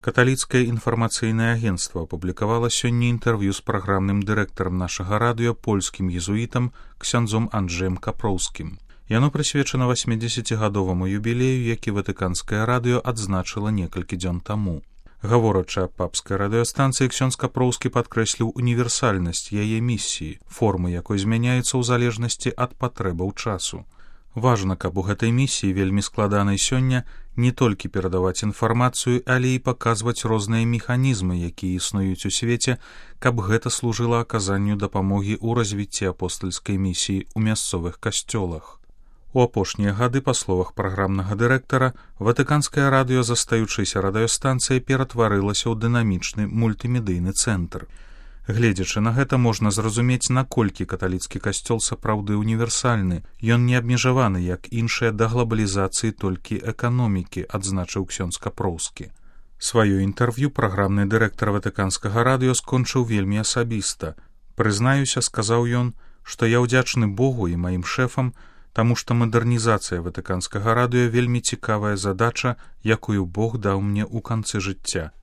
Каталіцкае інфармацыйнае агенцтва апублікавала сёння інтэрв'ю з праграмным дырэктарам нашага радыё польскім езуітам ксяндзом Анджэем Капроўскім. Яно прысвечана 80-гадоваму юбілею, які ватыканскае радыё адзначыла некалькі дзён таму. Гаворачы аб папскай радыёстанцыі, ксёндз Капроўскі падкрэсліў універсальнасць яе місіі, формы якой змяняецца ў залежнасці ад патрэбаў часу. Важна, каб у гэтай місіі, вельмі складанай сёння, не толькі перадаваць інфармацыю, але і паказваць розныя механізмы, якія існуюць у свеце, каб гэта служыла аказанню дапамогі ў развіцці апостальскай місіі ў мясцовых касцёлах. У апошнія гады, па словах праграмнага дырэктара, ватыканскае радыё, застаючыся радыёстанцыяй, ператварылася ў дынамічны мультымедыйны цэнтр. Гледзячы на гэта, можна зразумець, наколькі каталіцкі касцёл сапраўды універсальны. Ён не абмежаваны, як іншыя, да глабалізацыі толькі эканомікі, адзначыў ксёндз Капроўскі. Сваё інтэрв'ю праграмны дырэктар ватыканскага радыё скончыў вельмі асабіста. «Прызнаюся, — сказаў ён, — што я ўдзячны Богу і маім шэфам, таму што мадэрнізацыя ватыканскага радыё вельмі цікавая задача, якую Бог даў мне ў канцы жыцця.